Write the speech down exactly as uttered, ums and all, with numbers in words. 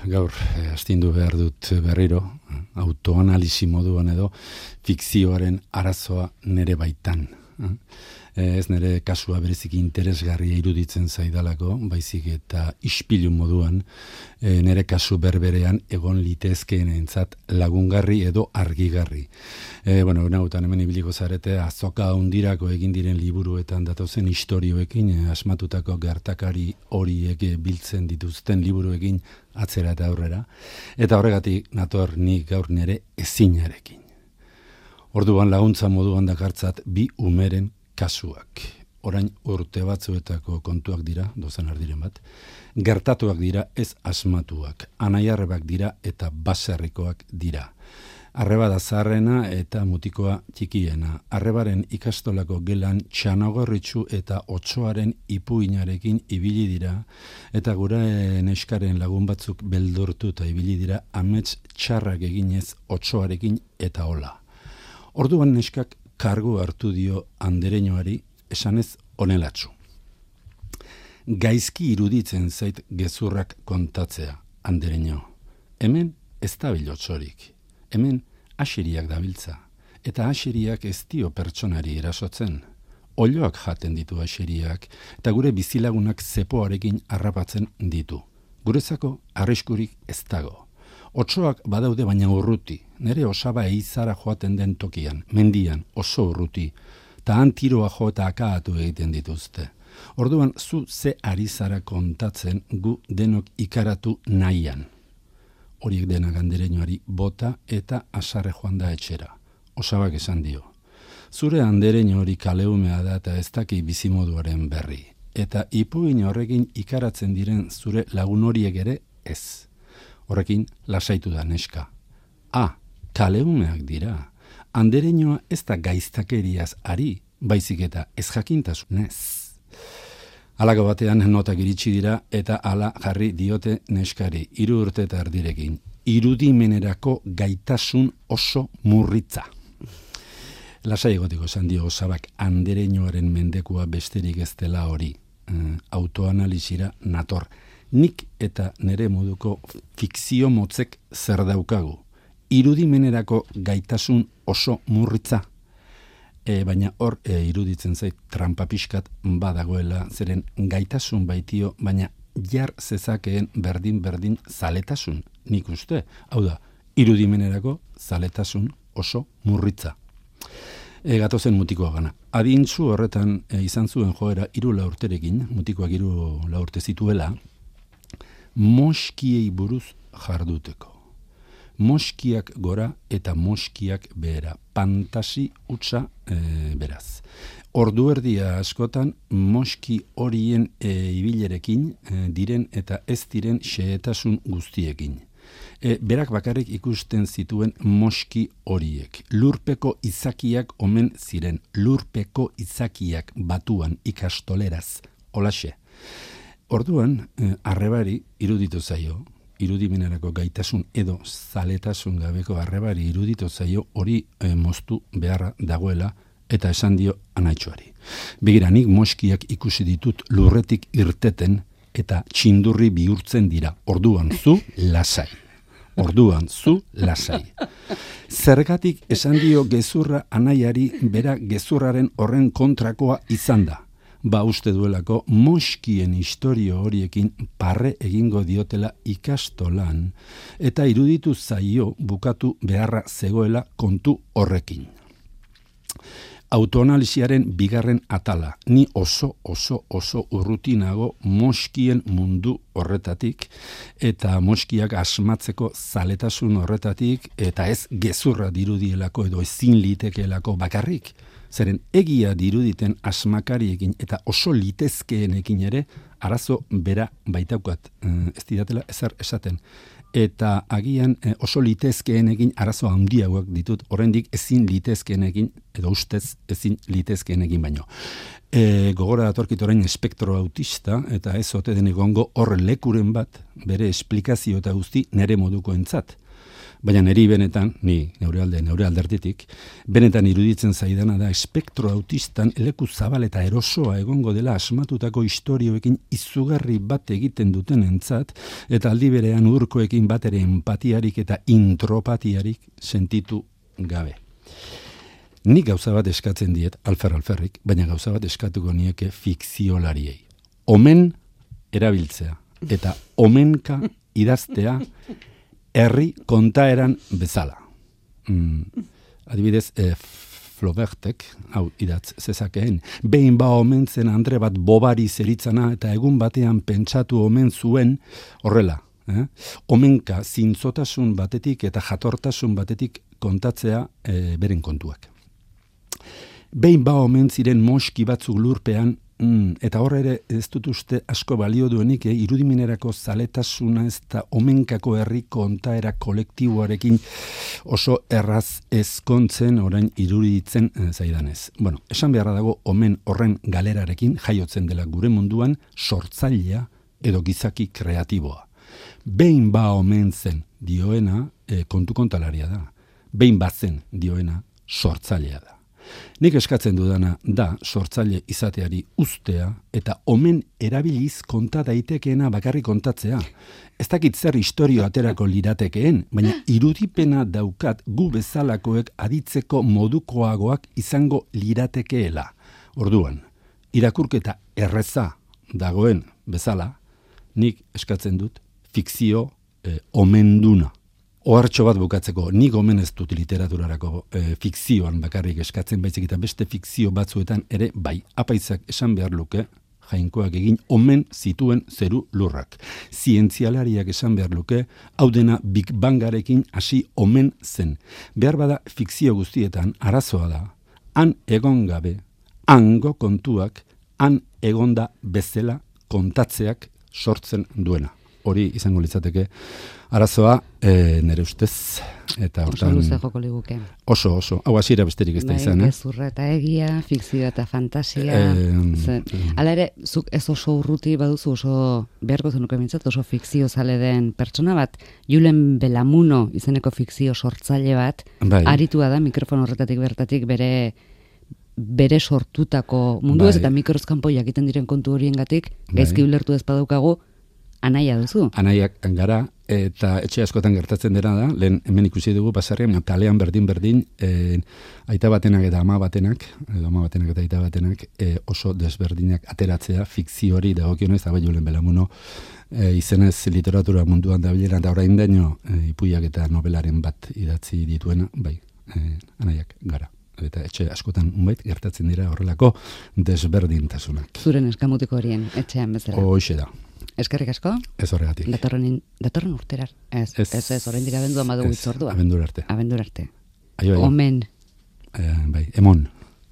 gaur eh, astindu behar dut berriro, autoanalisi moduan edo, fikzioaren arazoa nere baitan. Eh, ez nere kasua berezik interesgarria iruditzen zaidalako, baizik eta ispilu moduan, eh, nere kasu berberean egon litezkeenentzat lagungarri edo argigarri. Eh, bueno, nautan hemen ibiliko zarete, azoka hundirako egin diren liburuetan datozen istorioekin, eh, asmatutako gertakari horiek biltzen dituzten liburuekin atzera eta aurrera, eta horregatik nator ni gaur nere ezinarekin. Orduan laguntza moduan dakartzat bi umeren kasuak. Orain urte batzuetako kontuak dira, dozen ardiren bat, gertatuak dira ez asmatuak, anaiarrebak dira eta baserrikoak dira. Arreba da zaharrena eta mutikoa txikiena. Arrebaren ikastolako gelan txanagorritxu eta otsoaren ipuinarekin ibili dira, eta gure neskaren lagun batzuk beldurtu eta ibili dira amets txarrak eginez otsoarekin eta hola. Orduan neskak kargu hartu dio andereñoari esanez onelatsu. Gaizki iruditzen zait gezurrak kontatzea, andereño. Hemen ez da bilotsorik. Hemen asiriak dabiltza. Eta asiriak ez dio pertsonari erasotzen. Oiloak jaten ditu asiriak eta gure bizilagunak zepoarekin harrapatzen ditu. Guretzako arriskurik ez dago. Otsoak badaude baina urruti, nere osaba eizara joaten den tokian, mendian, oso urruti, eta han tiroa jo eta akaatu egiten dituzte. Orduan, zu ze ari zara kontatzen gu denok ikaratu nahian. Horiek dena andereñoari bota eta asarre joan da etxera. Osabak esan dio. Zure andereño hori kaleumea da eta ez daki bizimoduaren berri. Eta ipuin horrekin ikaratzen diren zure lagun horiek ere ez. Horrekin lasaitu da neska. Ah, kaleumeak dira. Andereñoa ez da gaiztakeriaz ari, baizik eta ez jakintasunez. Halako batean notak iritsi dira eta hala jarri diote neskari, hiru urte eta erdirekin. Irudimenerako gaitasun oso murritza. Lasai egotiko esan dio osabak andereñoaren mendekua besterik ez dela hori. Eh, autoanalizira nator. Nik eta nere moduko fikzio motzek zer daukagu. Irudimenerako gaitasun oso murritza. E, baina hor e, iruditzen zait trampa pixkat badagoela, zeren gaitasun baitio, baina jar zezakeen berdin-berdin zaletasun, nik uste. Hau da, irudimenerako zaletasun oso murritza. E, gatozen mutikoa gana. Adintzu horretan e, izan zuen joera hiru laurterekin, mutikoak hiru laurte zituela, moskiei buruz jarduteko. Moskiak gora eta moskiak behera. Fantasi hutsa e, beraz. Ordu erdia askotan moski horien e, ibilerekin e, diren eta ez diren xehetasun guztiekin. E, berak bakarrik ikusten zituen moski horiek. Lurpeko izakiak omen ziren. Lurpeko izakiak batuan ikastoleraz. Holaxe. Orduan, eh, arrebari iruditu zaio, irudimenerako gaitasun edo zaletasun gabeko arrebari iruditu zaio hori eh, moztu beharra dagoela eta esan dio anaitxoari. Begira, nik moskiak ikusi ditut lurretik irteten eta txindurri bihurtzen dira. Orduan zu lasai. Orduan zu lasai. Zergatik esan dio gezurra anaiari bera gezurraren horren kontrakoa izan da. Ba uste duelako moskien historio horiekin parre egingo diotela ikastolan eta iruditu zaio bukatu beharra zegoela kontu horrekin. Autoanalisiaren bigarren atala, ni oso oso oso urrutinago moskien mundu horretatik eta moskiak asmatzeko zaletasun horretatik eta ez gezurra dirudielako edo ezin litekeelako bakarrik. Zeren egia diruditen asmakariekin eta oso litezkeenekin ere arazo bera baitaukat, ez didatela ezer esaten. Eta agian oso litezkeenekin arazo handiagoak ditut, oraindik ezin litezkeenekin edo ustez ezin litezkeenekin baino. E, gogora datorkit orain espektro autista eta ez ote den egongo hor lekuren bat bere esplikazio eta guzti nere moduko entzat. Baina niri benetan, ni neure alde, neure alderditik, benetan iruditzen zaidana da espektro autistan leku zabal eta erosoa egongo dela asmatutako istorioekin izugarri bat egiten duten entzat, eta aldi berean urkoekin bat ere empatiarik eta intropatiarik sentitu gabe. Nik gauza bat eskatzen diet, alfer alferrik, baina gauza bat eskatuko nieke fikziolariei. Omen erabiltzea, eta omenka idaztea herri kontaeran bezala. Mm, adibidez, eh, Flaubertek, hau idatz zezakeen, behin ba omen zen andre bat bobari zeritzana eta egun batean pentsatu omen zuen horrela. Eh? Omenka zintzotasun batetik eta jatortasun batetik kontatzea eh, beren kontuak. Behin ba omen ziren moski batzuk lurpean, Mm, eta horre ere ez dut uste asko balio duenik, eh? Irudimenerako zaletasuna ez da omenkako herri kontaera kolektiboarekin oso erraz ezkontzen orain iruditzen eh, zaidanez. Bueno, esan beharra dago omen horren galerarekin jaiotzen dela gure munduan sortzailea edo gizaki kreatiboa. Behin ba omen zen dioena eh, kontu kontalaria da. Behin batzen dioena sortzailea da. Nik eskatzen dudana da sortzaile izateari ustea eta omen erabiliz konta daitekeena bakarrik kontatzea. Ez dakit zer istorio aterako liratekeen, baina irudipena daukat gu bezalakoek aditzeko modukoagoak izango liratekeela. Orduan, irakurketa erreza dagoen bezala, nik eskatzen dut fikzio eh, omenduna. Ohartxo bat bukatzeko, nik omen ez dut literaturarako e, fikzioan bakarrik eskatzen baizik eta beste fikzio batzuetan ere bai, apaizak esan behar luke, jainkoak egin omen zituen zeru lurrak. Zientzialariak esan behar luke, hau dena Big Bangarekin hasi omen zen. Behar bada fikzio guztietan arazoa da, han egon gabe, hango kontuak, han egonda bezala kontatzeak sortzen duena. Hori izango litzateke arazoa e, nere ustez eta hortan oso luze joko liguke. Oso oso, hau hasiera besterik ez da izan, eh? Gezurra eta egia, fikzioa eta fantasia. E, Hala ere, zuk ez oso urruti baduzu oso beharko zenuke mintzat, oso fikzio zale den pertsona bat, Julen Belamuno izeneko fikzio sortzaile bat, bai. Aritua da mikrofon horretatik bertatik bere bere sortutako mundu ez, bai. Eta mikrozkanpo jakiten diren kontu horiengatik, bai. Gaizki ulertu ez badaukagu, anaia duzu. Anaiak gara, eta etxe askotan gertatzen dena da, lehen hemen ikusi dugu pasarrian, kalean berdin-berdin, e, aita batenak eta ama batenak, edo ama batenak eta aita batenak, e, oso desberdinak ateratzea, fikzio hori dagokionez, eta bai Julen Belamuno, e, izenez literatura munduan da bilera, eta orain daino, e, ipuiak eta nobelaren bat idatzi dituena, bai, e, anaiak gara. Eta etxe askotan unbait gertatzen dira horrelako desberdintasunak. Zuren eskamutiko horien, etxean bezala. Hoxe da. Eskerrik asko? Ez horregatik. Datorren, datorren urterar. Ez, ez, ez, ez oraindik abendu amadugu itzordua. Abendur arte. Abendur arte. Aio, aio. Omen. Eh, bai, emon.